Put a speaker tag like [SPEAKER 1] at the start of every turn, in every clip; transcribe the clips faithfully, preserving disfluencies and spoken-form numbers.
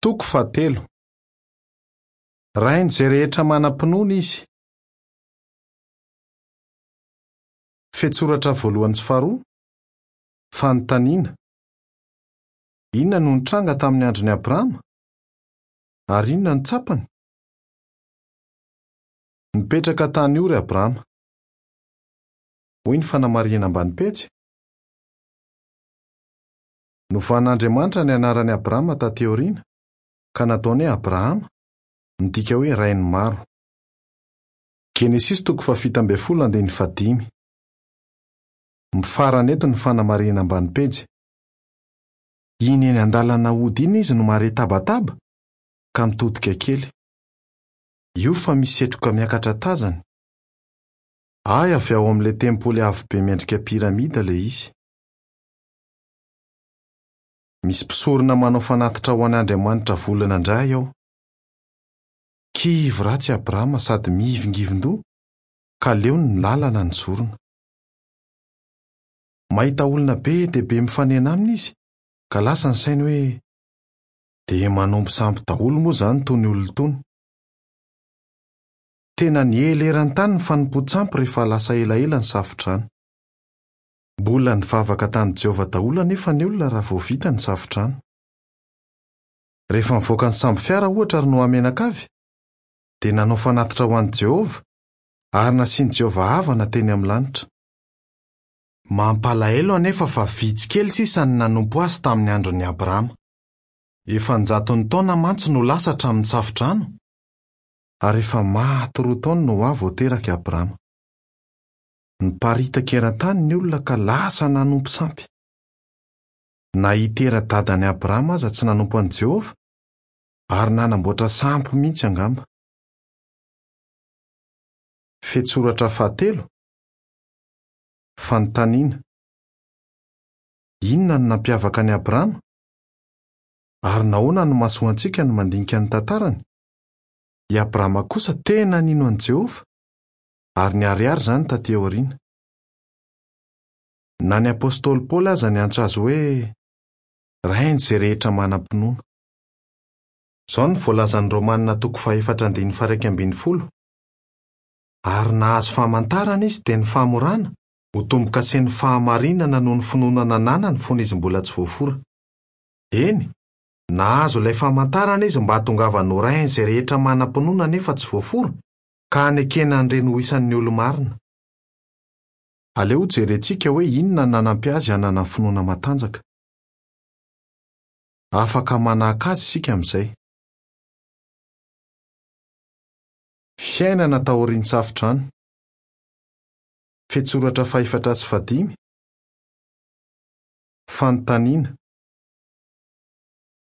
[SPEAKER 1] Toko fahatelo. Rain'izay rehetra manam-pinoana izy. Fehintsoratra voalohany sy faharoa. Fanontaniana. Inona no nitranga tamin'ny andron'i Abrahama? Ary inona no tsapany? Nipetraka tany Ora i Abrahama. Hoy ny fanamarihana ambany pejy. Novan'Andriamanitra ny anaran'i Abrahama taty aoriana, ka nataony hoe Abrahama, midika hoe rain'ny maro. Genesisy toko fahafito ambin'ny folo andininy fahadimy. Mifarana eto ny fanamarihana ambany pejy. Iny eny an-dalana hody iny izy no mahare tabataba ka mitodika kely. Io fa misy setroka miakatra tazany. Hay avy ao amin'ilay tempoly avo be miendrika piramida ilay izy. Misy mpisorona manao fanatitra ho an'Andriamanitra volana indray ao. Kivy ratsy Abrahama sady mihivingivin-doha ka leony ny lalana nizorona. Mahita olona be dia be mifanena aminy izy ka lasa ny sainy hoe dia manompo sampy daholo moa izany itony olona itony. Tena niely eran-tany ny fanompoan-tsampy rehefa lasa elaela ny safodrano. Mbola nivavaka tamin'i Jehovah daholo anefa ny olona raha vao vita ny safodrano. Rehefa nivoaka ny sambo fiara ohatra ry Noa mianakavy, dia nanao fanatitra ho an'i Jehovah ary nasian'i Jehovah havana teny amin'ny lanitra. Mampalahelo anefa fa vitsy kely sisa ny nanompo azy tamin'ny andron'i Abrahama. Efa an-jatony taona mantsy no lasa hatramin'ny safodrano, ary efa maty roa taona Noa vao teraka i Abrahama. Niparitaka eran-tany ny olona ka lasa nanompo sampy. Na i Tera dadan'i Abrahama aza tsy nanompo an'i Jehovah, ary nanamboatra sampy mihitsy angamba. Fehintsoratra fahatelo. Fanontaniana. Inona no nampiavaka an'i Abrahama? Ary nahoana no mahasoa antsika ny mandinika ny tantarany? I Abrahama kosa tena nino an'i Jehovah, ary niharihary izany taty aoriana. Na ny apostoly Paoly aza niantso azy hoe rain'izay rehetra manam-pinoana. Izao no voalazan'ny Romanina toko fahefatra andininy faha-iraika ambin'ny folo. Ary nahazo famantarana izy dia ny famorana ho tombo-kasen'ny fahamarinana noho ny finoana nananany fony izy mbola tsy voafora. Eny, nahazo ilay famantarana izy mba hahatongavany ho rain'izay rehetra manam-pinoana nefa tsy voafora, ka hanekena an'ireny ho isan'ny olo-marina. Aleo hojerentsika hoe inona no nanampy azy hanana finoana matanjaka. Afaka manahaka azy isika amin'izay. Fiainana taorian'ny safodrano. Fehintsoratra fahefatra sy fahadimy. Fanontaniana.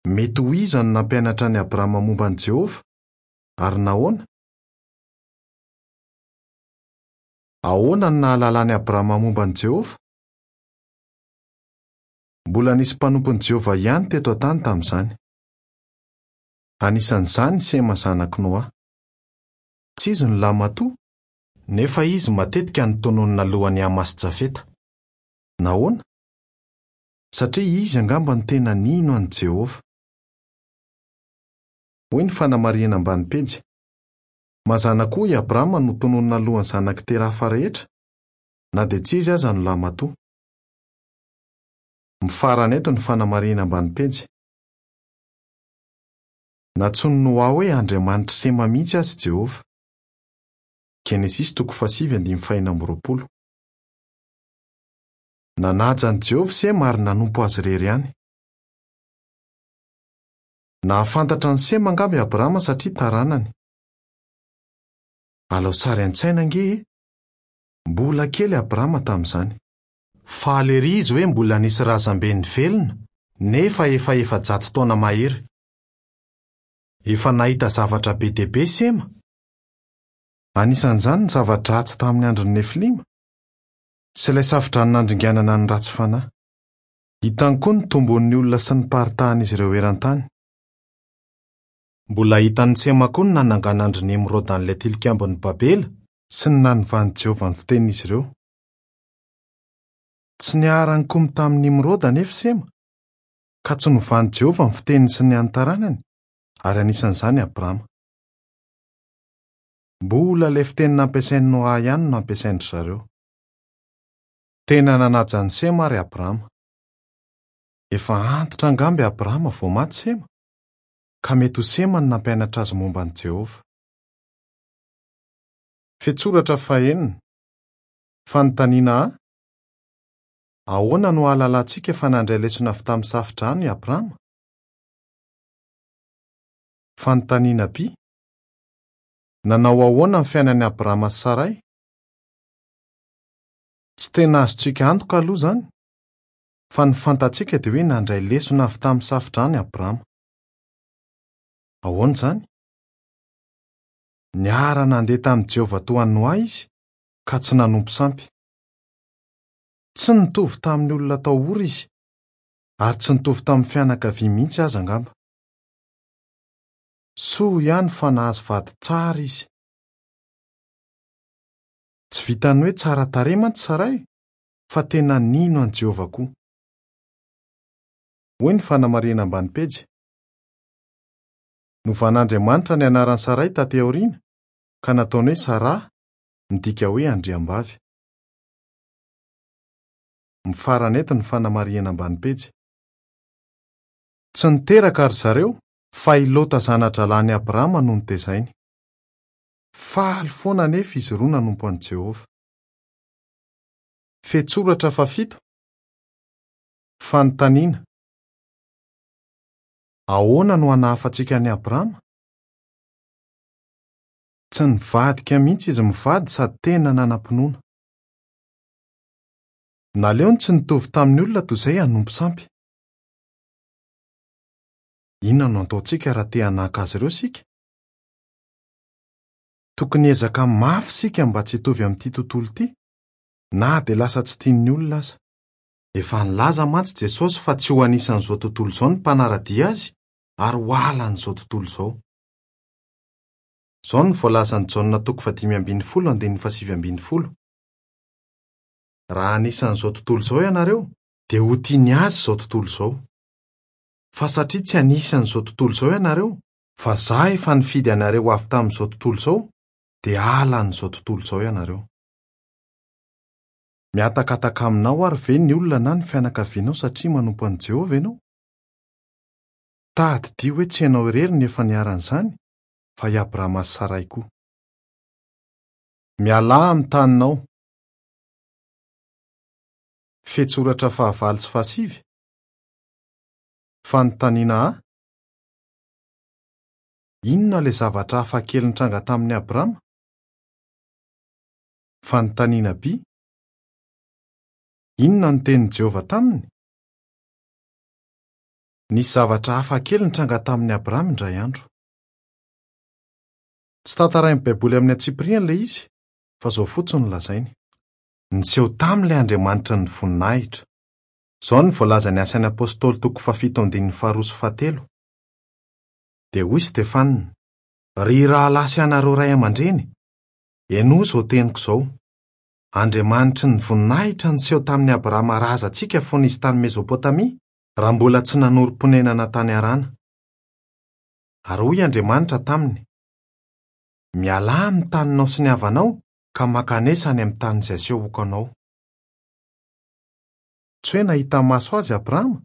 [SPEAKER 1] Mety ho iza no nampianatra an'i Abrahama momba an'i Jehovah? Ary nahoana? Ahoana no nahalalan'i Abrahama momba an'i Jehovah? Mbola nisy mpanompon'i Jehovah ihany teto an-tany tamin'izany. Anisan'izany i Sema zanak'i Noa. Tsy izy no lahimatoa, nefa izy matetika no tononina alohan'i Hama sy Jafeta. Nahoana? Satria izy angamba no tena nino an'i Jehovah. Hoy ny fanamarihana ambany pejy. Mazàna koa i Abrahama no tononina alohan'ny zanak'i Tera hafa rehetra, na dia tsy izy aza no lahimatoa. Mifarana eto ny fanamarihana ambany pejy. Nantsoin'i Noa hoe Andriamanitr'i Sema mihitsy aza i Jehovah. Genesisy toko fahasivy andininy fahenina amby roapolo. Nanaja an'i Jehovah Sema ary nanompo azy irery ihany. Nahafantatra an'i Sema angamba i Abrahama satria taranany. Alao sary an-tsaina ange e! Mbola kely Abrahama tamin'izany. Faly ery izy hoe mbola nisy razambeny velona nefa efa efajato taona mahery. Efa nahita zavatra be dia be Sema. Anisan'izany ny zava-dratsy tamin'ny andron'ny Nefilima sy ilay safodrano nandringanana ny ratsy fanahy. Hitany koa ny tombon'ny olona sy ny paritahan'izy ireo eran-tany. Mbola hitan'i Sema koa ny nananganan-dry Nemroda an'ilay tilikambon'i Babela sy ny nanovan'i Jehovah ny fitenin'izy ireo. Tsy niara-nikomy tamin'i Nimroda anefa Sema, ka tsy novan'i Jehovah ny fiteniny sy ny an'ny taranany. ary anisan'izany Abrama. Mbola ilay fiteny nampiasain'i Noa ihany no nampiasain-dry zareo. Tena nanaja an'i Sema ary Abrama. Efa antitra angamba i Abrama vao maty Sema, ka mety ho Sema no nampianatra azy momba an'i Jehovah. Fetsoratra fahenina. Fanontaniana A. Ahoana no ahalalantsika fa nandray lesona avy tamin'ny safodrano i Abrama? Fanontaniana B. Nanao ahoana ny fiainan'i Abrama sy Saray? Tsy tena azontsika antoka aloha izany, fa ny fantatsika dia hoe nandray lesona avy tamin'ny safodrano i Abrama. Ahoana izany? Niara-nandeha tamin'i Jehovah toa an'i Noa izy, ka tsy nanompo sampy. Tsy nitovy tamin'ny olona tao Ora izy, ary tsy nitovy tamin'ny fianakaviany mihitsy aza angamba. Soa ihany fa nahazo vady tsara izy. Tsy vitan'ny hoe tsara tarehy mantsy Saray, fa tena nino an'i Jehovah koa. Hoy ny fanamarihana ambany pejy. Novan'Andriamanitra ny anaran'i Saray taty aoriana, ka nataony hoe Sara, midika hoe andriambavy. Mifarana eto ny fanamarihana ambany pejy. Tsy niteraka ry zareo, fa i Lota zana-drahalahin'i Abrama no notezainy. Faly foana anefa izy roa nanompo an'i Jehovah. Fetsoratra fahafito. Fanontaniana. Ahoana no hanahafantsika an'i Abrama? Tsy nivadika mihitsy izy mivady sady tena nanam-pinoana. Naleony tsy nitovy tamin'ny olona toy izay hanompo sampy. Inona no ataontsika raha te hanahaka azy ireo isika? Tokony hiezaka mafy isika mba tsy hitovy amin'ity tontolo ity, na dia lasa tsy tian'ny olona aza. Efa nilaza mantsy Jesosy fa tsy ho anisan'izao tontolo izao ny mpanara-dia azy ary ho halan'izao tontolo izao. Izao no voalazan'i Jaona toko fahadimy ambin'ny folo andininy fahasivy ambin'ny folo. Raha anisan'izao tontolo izao ianareo, dia ho tiany azy izao tontolo izao. Fa satria tsy anisan'izao tontolo izao ianareo, fa izaho efa nifidy anareo avy tamin'izao tontolo izao, dia halan'izao tontolo izao ianareo. Mihatakataka aminao ary ve ny olona na ny fianakavianao satria manompo an'i Jehovah ianao? Tadidio hoe tsy ianao irery no efa niharan'izany, fa i Abrama sy Saray koa. Mialà amin'ny taninao. Fetsoratra fahavalo sy fahasivy. Fanontaniana A. Inona ilay zavatra hafakely nitranga tamin'i Abrama? Fanontaniana B. Inona no tenin'i Jehovah taminy? Nisy zavatra hafakely nitranga tamin'i Abrama indray andro. Tsy tantarain'ny Baiboly amin'ny antsipiriany ilay izy, fa izao fotsiny no lazainy. Niseho taminy ilay Andriamanitra ny voninahitra. Izao no voalazan'ny Asan'ny Apôstôly toko fahafito andininy faharoa sy fahatelo. Dia hoy Stefana: Ry rahalahy sy anareo ray aman-dreny, henoy izao teniko izao. Andriamanitry ny voninahitra niseho tamin'i Abrahama razantsika fony izy tany Mezopotamia, raha mbola tsy nanorim-ponenana tany Harana. Ary hoy Andriamanitra taminy: Mialà amin'ny taninao sy ny havanao, ka mankanesa any amin'ny tany izay asehoko anao. Tsy hoe nahita maso azy Abrahama,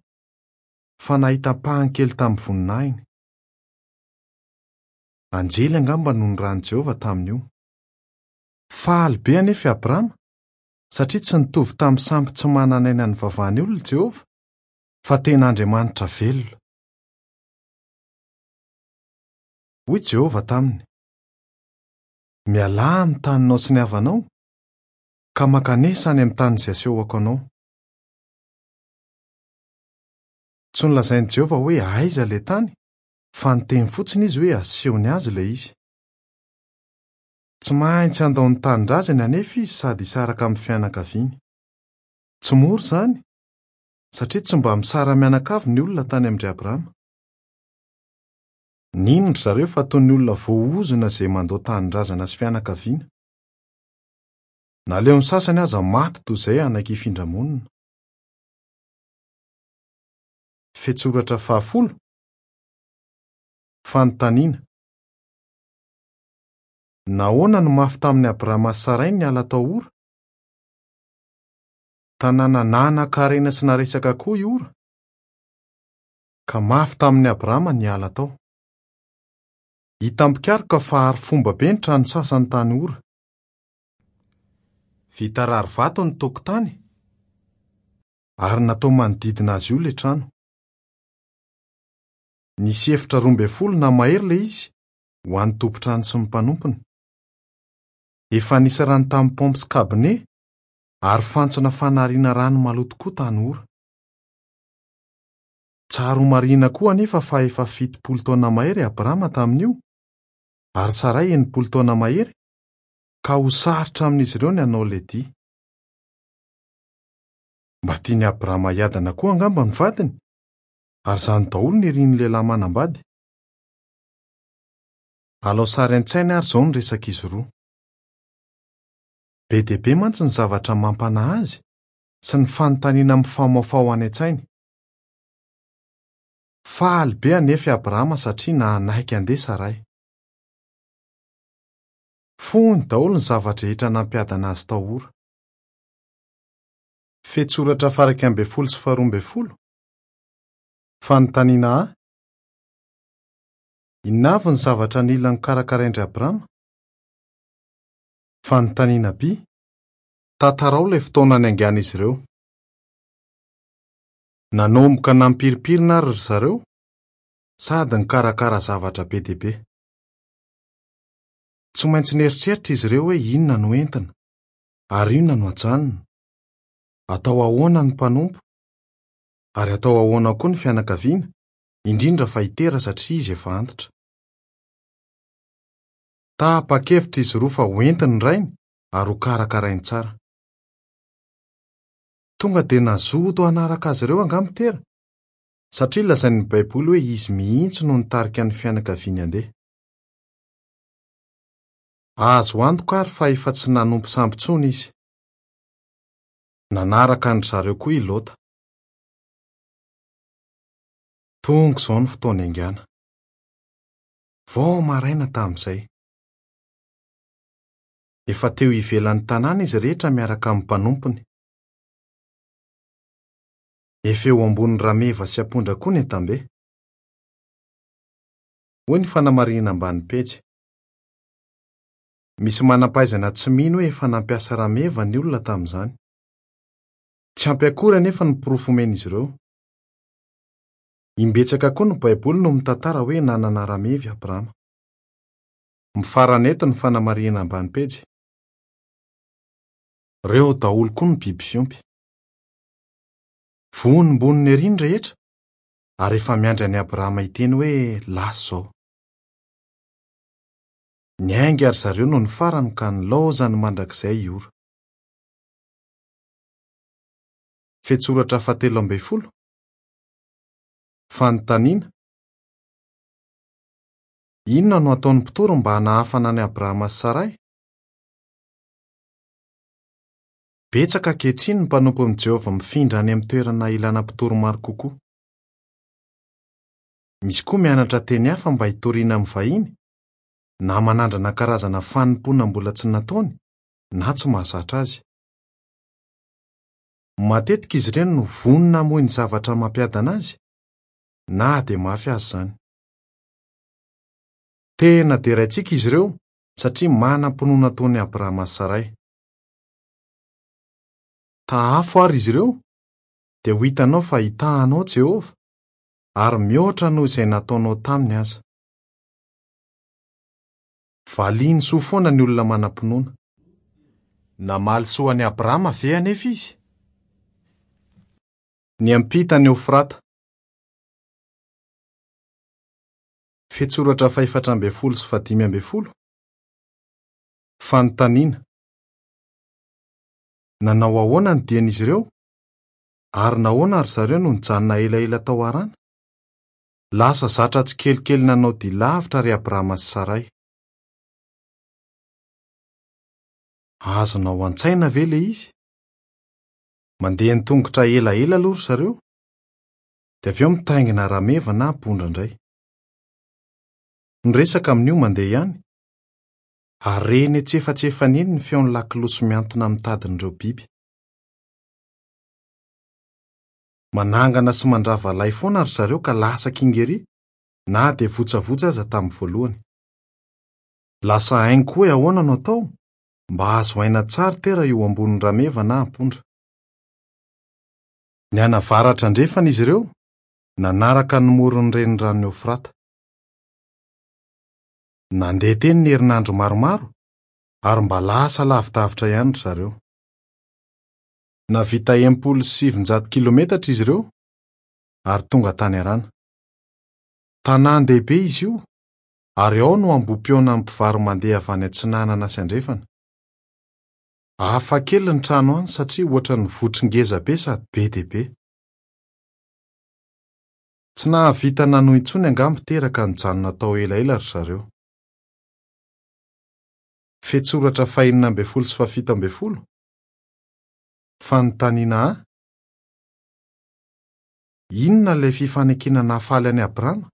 [SPEAKER 1] fa nahita ampahany kely tamin'ny voninahiny. Anjely angamba no nirahin'i Jehovah tamin'io. Faly be anefa i Abrahama, satria tsy nitovy tamin'ny sampy tsy manan'aina nivavahan'ny olona Jehovah, fa tena Andriamanitra velona. Hoy Jehovah taminy: Mialà amin'ny taninao sy ny havanao, ka mankanesa any amin'ny tany izay asehoko anao. Tsy nolazain'i Jehovah hoe aiza ilay tany, fa niteny fotsiny izy hoe asehony azy ilay izy. Tsy maintsy handao ny tanindrazany anefa izy sady hisaraka amin'ny fianakaviany. Tsy mora izany, satria tsy mba misara-mianakavy ny olona tany amin-dry Abrahama. Nino ry zareo fa toy ny olona voaozona izay mandao tanindrazana sy fianakaviana. Naleon'ny sasany aza maty toy izay hanaiky hifindra-monina. Fetsoratra fahafolo. Fanontaniana: Nahoana no mafy tamin'i Abrahama sy Saray ny niala tao Ora? Tanàna nanan-karena sy naresaka koa i Ora, ka mafy tamin'i Abrahama ny niala tao. Hita mpikaroka fa ary fomba be ny trano sasany tany Ora. Vita rarivato ny tokotany ary natao manodidina azy io ilay trano. Nisy efitra roa ambin'ny folo na mahery ilay izy ho an'ny tompon-trano sy ny mpanompony. Efa nisy rano tamin'ny paompy sy kabine ary fantsona fanariana rano maloto koa tany Ora. Tsara ho marihina koa anefa fa efa fitopolo taona mahery Abrahama tamin'io ary Saray enimpolo taona mahery, ka ho sarotra amin'izy ireo ny hanao ilay dia. Mba tian'i Abrahama hiadana koa angamba ny vadiny, ary izany daholo no irin'ny lehilahy manambady. Alao sary an-tsaina ary izao ny resak'izy roa. Be dia be mantsy ny zavatra mampanahy azy sy ny fanontaniana mifamahofaho any an-tsainy. Faly be anefa i Abrahama satria nanaiky handeha Saray. Fony daholo ny zavatra rehetra nampiadana azy tao Ora. Fehintsoratra faha iraika ambin'ny folo sy faharoa ambin'ny folo. Fanontaniana A: Inona avy ny zavatra nila nokarakarain-dry Abrahama? Fanontaniana B: Tantarao ilay fotoana niaingan'izy ireo. Nanomboka nampirimpirina ary ry zareo sady nikarakara zavatra be dia be. Tsy maintsy nieritreritra izy ireo hoe inona no entina ary inona no ajanona. Atao ahoana ny mpanompo ary atao ahoana koa ny fianakaviana, indrindra fa i Tera satria izy efa antitra. Tapa-kevitra izy roa fa hoentiny ny rainy ary ho karakarainy tsara. Tonga dia nazoto hanaraka azy ireo angamba Tera, satria lazain'ny Baiboly hoe izy mihitsy no nitarika ny fianakaviany handeha. Azo antoka ary fa efa tsy nanompo sampy intsony izy. Nanaraka an-dry zareo koa i Lota. Tonga izao ny fotoana niaingàna. Vao maraina tamin'izay. Efa teo ivelan'ny tanàna izy rehetra miaraka amin'ny mpanompony. Efa eo ambony rameva sy ampondra koa ny entam-be. Hoy ny fanamarihana ambany pejy. Misy manam-pahaizana tsy mino hoe efa nampiasa rameva ny olona tamin'izany. Tsy ampy akory anefa ny porofo omen'izy ireo. Imbetsaka koa ny Baiboly no mitantara hoe nanana rameva i Abrahama. Mifarana eto ny fanamarihana ambany pejy. Ireo daholo koa ny biby fiompy. Vonombonona ery ny rehetra ary efa miandry an'i Abrahama hiteny hoe lasa izao. Niainga ry zareo noho ny farany ka nilaozany mandrakizay i Ora. Fehintsoratra fahatelo ambin'ny folo. Fanontaniana: Inona no ataon'ny mpitory mba hanahafana an'i Abrahama sy Saray? Betsaka ankehitriny ny mpanompon'i Jehovah mifindra any amin'ny toerana ilana mpitory maro kokoa. Misy koa mianatra teny hafa mba hitoriana amin'ny vahiny, na manandrana karazana fanompoana mbola tsy nataony na tsy mahazatra azy. Matetika izy ireny no vonona hamoy ny zavatra mampiadana azy, na dia mafy azy izany. Tena deraintsika izy ireo satria manam-pinoana toy ny Abrahama sy Saray. Tahafo ary izy ireo, dia ho hitanao fa hitahanao Jehovah ary mihoatra noho izay nataonao taminy aza. Valiany soa foana ny olona manam-pinoana. Namaly soa an'i Abrahama ve anefa izy? Niampita ny Eofrata. Fehintsoratra fahefatra ambin'ny folo sy fahadimy ambin'ny folo. Fanontaniana: Nanao ahoana ny dian'izy ireo? Ary nahoana ry zareo no nijanona elaela tao Harana? Lasa zatra tsikelikely nanao dia lavitra ry Abrahama sy Saray. Azonao an-tsaina ve ilay izy? Mandeha an-tongotra elaela aloha ry zareo, dia avy eo mitaingina rameva na ampondra indray. Ny resaka amin'io mandeha ihany, ary re eny antsefatsefany eny ny feon'ny lakolosy mihantona amin'ny tadin'ireo biby. Manangana sy mandrava lay foana ry zareo ka lasa kinga ery, na dia votsavotsa aza tamin'ny voalohany. Lasa hainy koa hoe ahoana no atao mba hahazo aina tsara tera eo ambonin'ny rameva na ampondra. Nianavaratra andrefana izy ireo, nanaraka ny moron'ny reniranon'i Eofrata. Nandeha teny ny herinandro maromaro ary mba lasa lavidavitra ihany ry zareo. Nahavita enimpolo sy sivinjato kilometatra izy ireo ary tonga tany Harana. Tanàn-dehibe izy io ary ao no ambohi-pihaonan'ny mpivaro-mandeha avy any atsinanana sy andrefana. Hafa kely ny trano any satria ohatran'ny votry ngeza be sady be dia be. Tsy nahavita nanohy intsony angamba teraka nijanona tao elaela ry zareo. Fetsoratra fahenina ambin'ny folo sy fahafito ambin'ny folo. Fanontaniana A: Inona ilay fifanekena nahafaly an'i Abrahama?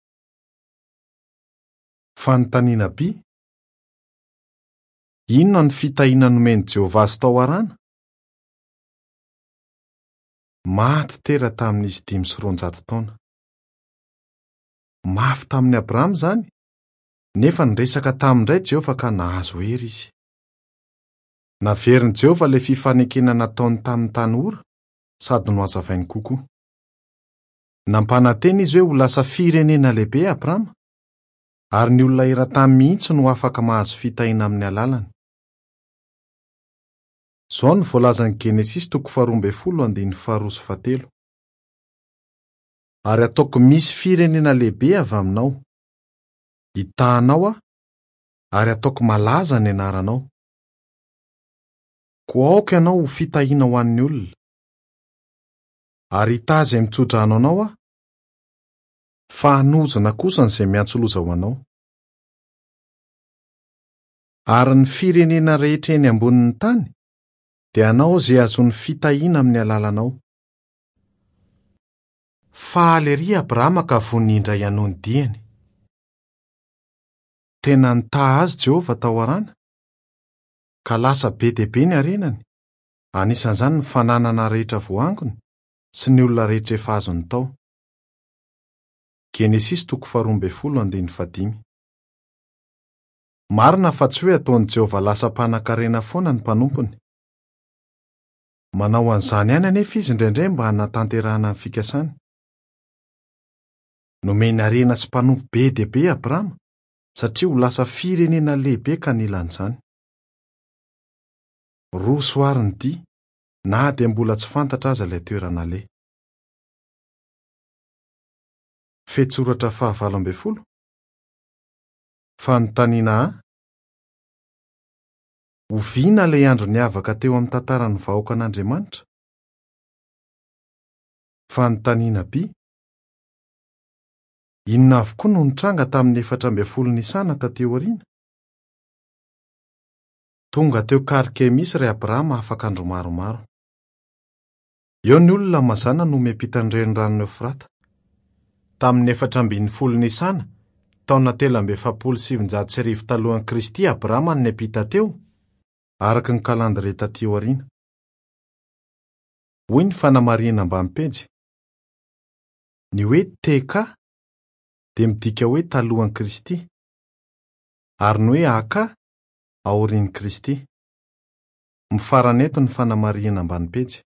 [SPEAKER 1] Fanontaniana B: Inona ny fitahiana nomen'i Jehovah azy tao Harana? Maty tera tamin'izy dimy sy roanjato taona. Mafy tamin'i Abrahama izany, nefa niresaka taminy indray Jehovah ka nahazo hery izy. Naverin'i Jehovah ilay fifanekena nataony tamin'ny tany Ora sady nohazavainy kokoa. Nampanantena izy hoe ho lasa firenena lehibe Abrahama, ary ny olona eran-tany mihitsy no afaka mahazo fitahiana amin'ny alalany. Izao no voalazan'ny Genesisy toko faharoa ambin'ny folo andininy faharoa sy fahatelo. Ary ataoko misy firenena lehibe avy aminao. Hitahanao aho, ary ataoko malaza ny anaranao. Koa aoka ianao ho fitahiana ho an'ny olona. Ary hitahy izay mitsodrano anao aho, fa hanozona kosa izay miantso loza ho anao. Ary ny firenena rehetra eny ambonin'ny tany dia hanao izay hahazoany fitahiana amin'ny alalanao. Faly ery Abrahama ka vonona indray hanohy ny diany. Tena nitaha azy Jehovah tao Harana, ka lasa be dia be ny harenany, anisan'izany ny fananana rehetra voaangony sy ny olona rehetra efa azony tao. Genesisy toko faharoa ambin'ny folo andininy fahadimy. Marina fa tsy hoe ataon'i Jehovah lasa mpanankarena foana ny mpanompony. Manao an'izany ihany anefa izy indraindray mba hanatanterahana ny fikasany. Nomeny harena sy mpanompo be dia be Abrahama satria ho lasa firenena lehibe ka nila an'izany. Roso ary ny dia, na dia mbola tsy fantatra aza ilay toerana aleha. Fetsoratra fahavalo ambin'ny folo. Fanontaniana A: Oviana ilay andro niavaka teo amin'ny tantaran'ny vahoakan'Andriamanitra? Fanontaniana B: Inona avokoa no nitranga tamin'ny efatra ambin'ny folo Nisana taty aoriana? Tonga teo Karkemisy ry Abrahama afaka andro maromaro. Eo ny olona mazàna no miampita ny reniranon'i Eofrata. Tamin'ny efatra ambin'ny folo Nisana, taona telo amby efapolo sy sivinjato sy arivo talohan'i Kristy Abrahama no niampita teo, araka ny kalandrie taty aoriana. Hoy ny fanamarihana ambany pejy. Ny hoe T K dia midika hoe talohan'i Kristy, ary ny hoe A K aorian'i Kristy. Mifarana eto ny fanamarihana ambany pejy.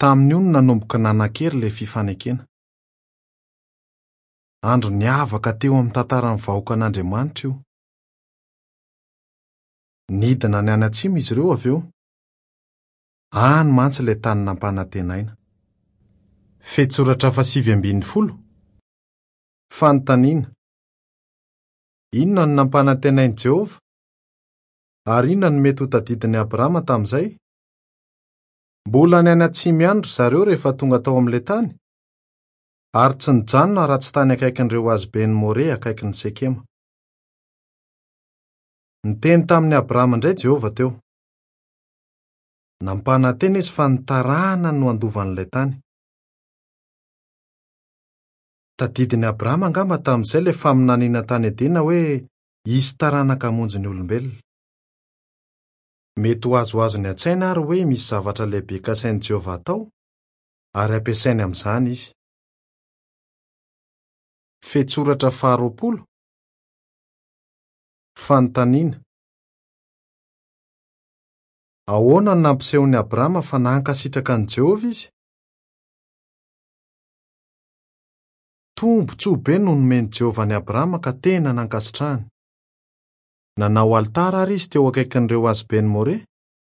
[SPEAKER 1] Tamin'io no nanomboka nanan-kery ilay fifanekena. Andro niavaka teo amin'ny tantaran'ny vahoakan'Andriamanitra io. Nidina ny any atsimo izy ireo avy eo. Any mantsy ilay tany nampanantenaina. Fetsoratra fahasivy ambin'ny folo. Fanontaniana: Inona no nampanantenain'i Jehovah? Ary inona no mety ho tadidin'i Abrahama tamin'izay? Mbola ny any atsimo ihany ry zareo rehefa tonga tao amin'ilay tany, ary tsy nijanona raha tsy tany akaikin'ireo hazoben'i More akaikin'i Sekema. Niteny tamin'i Abrahama indray Jehovah teo. Nampanantena izy fa ny taranany no handova an'ilay tany. Tadidin'i Abrahama angamba tamin'izay ilay faminaniana tany Edena hoe hisy taranaka hamonjy ny olombelona. Mety ho azoazony an-tsaina ary hoe misy zavatra lehibe kasain'i Jehovah atao ary ampiasainy amin'izany izy. Fehintsoratra faharoapolo. Fanontaniana: ahoana no nampisehon'i Abrahama fa nankasitraka an'i Jehovah izy? Tombontsoa be no nomen'i Jehovah an'i Abrahama ka tena nankasitrahany. Nanao alitara ary izy teo akaikin'ireo hazoben'i More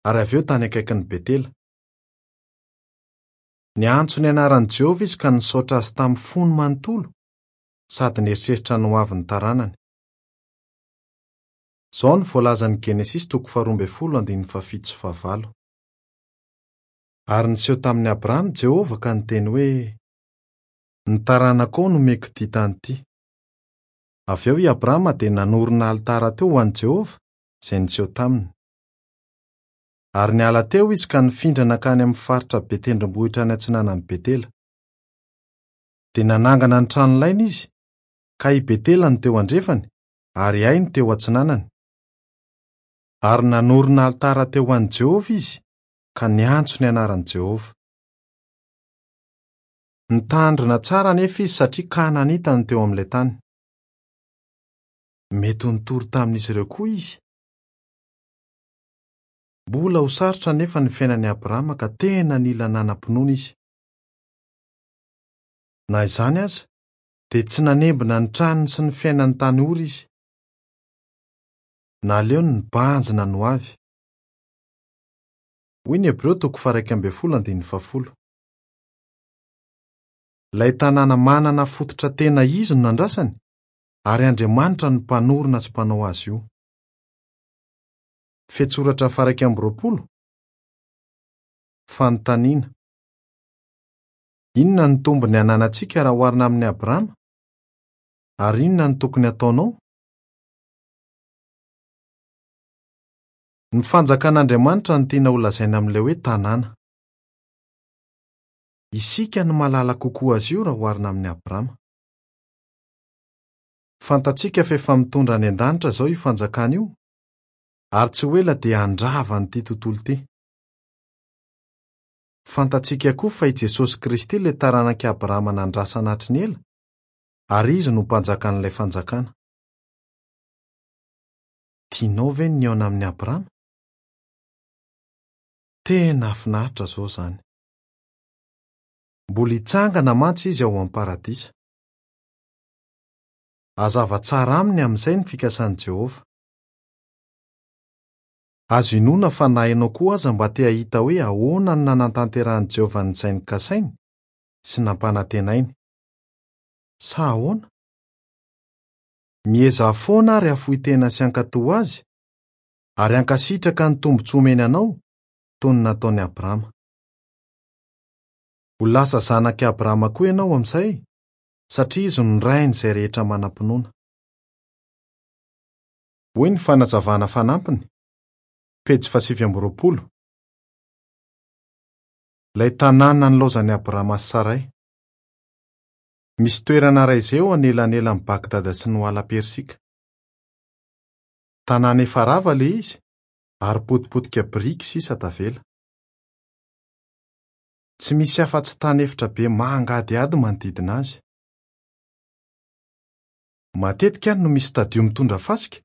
[SPEAKER 1] ary avy eo tany akaikin'i Betela. Niantso ny anaran'i Jehovah izy ka nisaotra azy tamin'ny fony manontolo sady nieritreritra ny hoavin'ny taranany. Izao no voalazan'ny Genesisy toko faharoa ambin'ny folo andininy fahafito sy fahavalo. Ary niseho tamin'i Abrahama Jehovah ka niteny hoe: "Ny taranakao no omeko ity tany ity." Avy eo i Abrahama dia nanorina alitara teo ho an'i Jehovah izay niseho taminy. Ary niala teo izy ka nifindra nankany amin'ny faritra be tendrombohitra any atsinanan'i Betela. Dia nanangana ny tranolainy izy, ka i Betela no teo andrefany ary Ay no teo atsinanany. Ary nanorina alitara teo ho an'i Jehovah izy ka niantso ny anaran'i Jehovah. Nitandrina tsara anefa izy satria Kananita no teo amin'ilay tany. Mety ho nitory tamin'izy ireo koa izy. Mbola ho sarotra anefa ny fiainan'i Abrahama ka tena nila nanam-pinoana izy. Na izany aza, dia tsy nanembona ny tranony sy ny fiainany tany Ora izy. Naleony nibanjina ny hoavy. Hoy ny Hebreo toko faha-iraika ambin'ny folo andininy fahafolo. Ilay tanàna manana fototra tena izy no nandrasany, ary Andriamanitra no mpanorina sy mpanao azy io. Fehintsoratra faha-iraika amby roapolo. Fanontaniana: inona no tombony ananantsika raha oharina amin'i Abrahama? Ary inona no tokony hataonao? Ny fanjakan'Andriamanitra no tiana holazaina amin'ilay hoe tanàna. Isika no mahalala kokoa azy io raha oharina amin'i Abrahama. Fantatsika fa efa mitondra any an-danitra izao io fanjakana io, ary tsy ho ela dia handrava an'ity tontolo ity. Fantatsika koa fa i Jesosy Kristy ilay taranak'i Abrahama nandrasana hatry ny ela, ary izy no mpanjakan'ilay fanjakana. Tianao ve ny nihaona amin'i Abrahama? Tena hahafinaritra izao izany. Mbola hitsangana mantsy izy ao amin'ny paradisa. Hazava tsara aminy amin'izay ny fikasan'i Jehovah. Azo inoana fa na ianao koa aza mba te hahita hoe ahoana no nanatanterahan'i Jehovah an'izay nokasainy sy nampanantenainy. Sa ahoana? Miezaha foana ary hafoy tena sy hankatò azy, ary hankasitraka ny tombontsoa omeny anao toy ny nataon'i Abrahama. Ho lasa zanak'i Abrahama koa ianao amin'izay, satria izy no rain'izay rehetra manam-pinoana. Hoy ny fanazavana fanampiny, pejy fahasivy amby roapolo. Ilay tanàna nilaozan'i Abrahama sy Saray. Misy toerana iray izay eo anelanelan'i Bagdada sy ny Hoala Persika. Tanàna efa rava ilay izy ary potipotika biriky sisa tavela. Tsy misy afa-tsy tany efitra be mangadihady manodidina azy. Matetika any no misy tadio mitondra fasika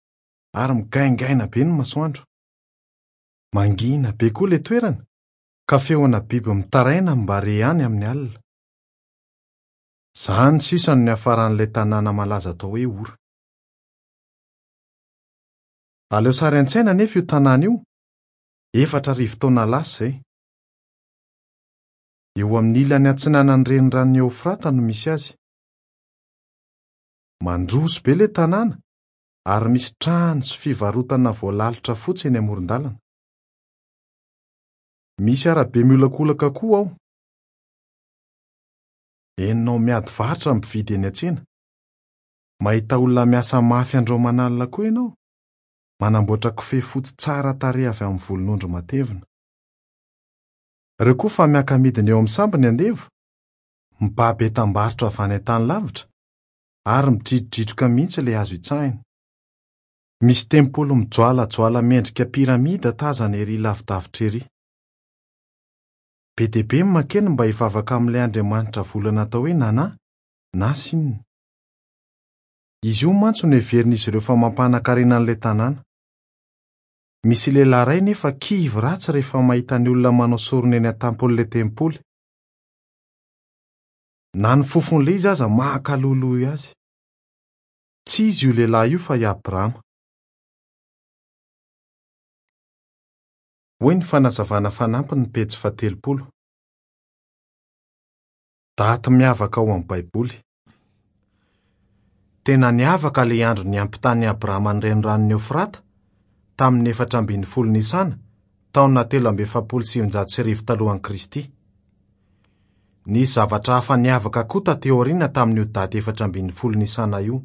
[SPEAKER 1] ary migaingaina be ny masoandro. Mangina be koa ilay toerana ka feona biby mitaraina mba re any amin'ny alina. Izany sisa no niafaran'ilay tanàna malaza atao hoe Ora. Aleo sary an-tsaina anefa io tanàna io, efatra arivo taona lasa izay. Eo amin'ny ilany atsinanan'ny reniranon'i Eofrata no misy azy. Mandroso be ilay tanàna ary misy trano sy fivarotana voalalotra fotsy eny amoron-dalana. Misy arabe miolakolaka koa ao. Henonao miady varotra ny mpividy eny an-tsena. Mahita olona miasa mafy andro aman'alina koa ianao, manamboatra kofehy fotsy tsara tarehy avy amin'ny volon'ondry matevina. Ireo koa fa miaka-midina eo amin'ny sambo ny andevo, mibaby entam-barotra avy any an-tany lavitra ary midridrodridroka mihitsy ilay hazo itsahina. Misy tempoly mijoalajoala miendrika piramida tazana ery lavidavitra ery. Be dia be ny mankeny mba hivavaka amin'ilay andriamanitra volana atao hoe Nana na Sin. Izy io mantsy no heverin'izy ireo fa mampanan-karena an'ilay tanàna. Misy lehilahy iray nefa kivy ratsy rehefa mahita ny olona manao sorona eny an-tampon'ilay tempoly. Na ny fofon'ilay izy aza mahakaloloy azy. Tsy izy io lehilahy io fa i Abrahama. Hoy ny fanazavana fanampiny ny pejy fahatelopolo. Daty miavaka ao amin'ny Baiboly. Tena niavaka ilay andro niampitan'i Abrahama ny reniranon'i Eofrata tamin'ny efatra ambin'ny folo Nisana, taona telo amby efapolo sy sivinjato sy arivo talohan'i Kristy. Nisy zavatra hafa niavaka koa taty aoriana tamin'io daty efatra ambin'ny folo Nisana io.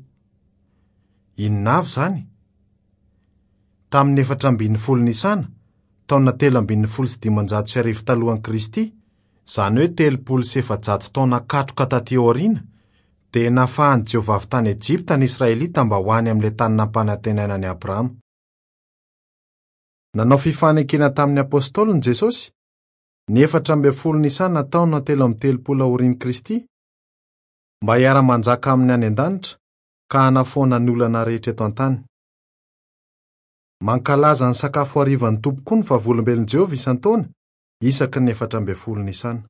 [SPEAKER 1] Inona avy izany? Tamin'ny efatra ambin'ny folo Nisana, taona telo ambin'ny folo sy dimanjato sy arivo talohan'i Kristy, izany hoe telopolo sy efajato taona katroka taty aoriana, dia nafahan'i Jehovah avy tany Ejipta ny Israelita mba ho any amin'ilay tany nampanantenaina an'i Abrahama. Nanao fifanekena tamin'ny apôstôliny Jesosy ny efatra ambin'ny folo Nisana taona telo amby telopolo aorian'i Kristy mba hiara-manjaka aminy any an-danitra ka hanafoana ny olana rehetra eto an-tany. Mankalaza ny sakafo harivan'ny Tompo koa ny Vavolombelon'i Jehovah isan-taona isaky ny efatra ambin'ny folo Nisana.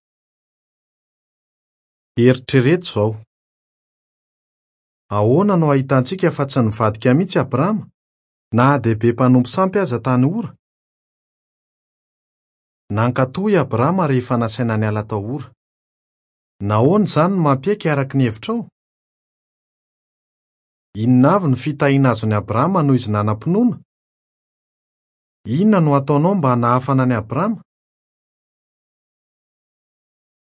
[SPEAKER 1] Eritrereto izao. Ahoana no ahitantsika fa tsy nivadika mihitsy Abrahama na dia be mpanompo sampy aza tany Ora? Nankatò i Abrahama rehefa nasaina niala tao Ora. Nahoana izany no mampiaiky araka ny hevitrao? Inona avy ny fitahiana azon'i Abrahama noho izy nanam-pinoana? Inona no ataonao mba hanahafana an'i Abrahama?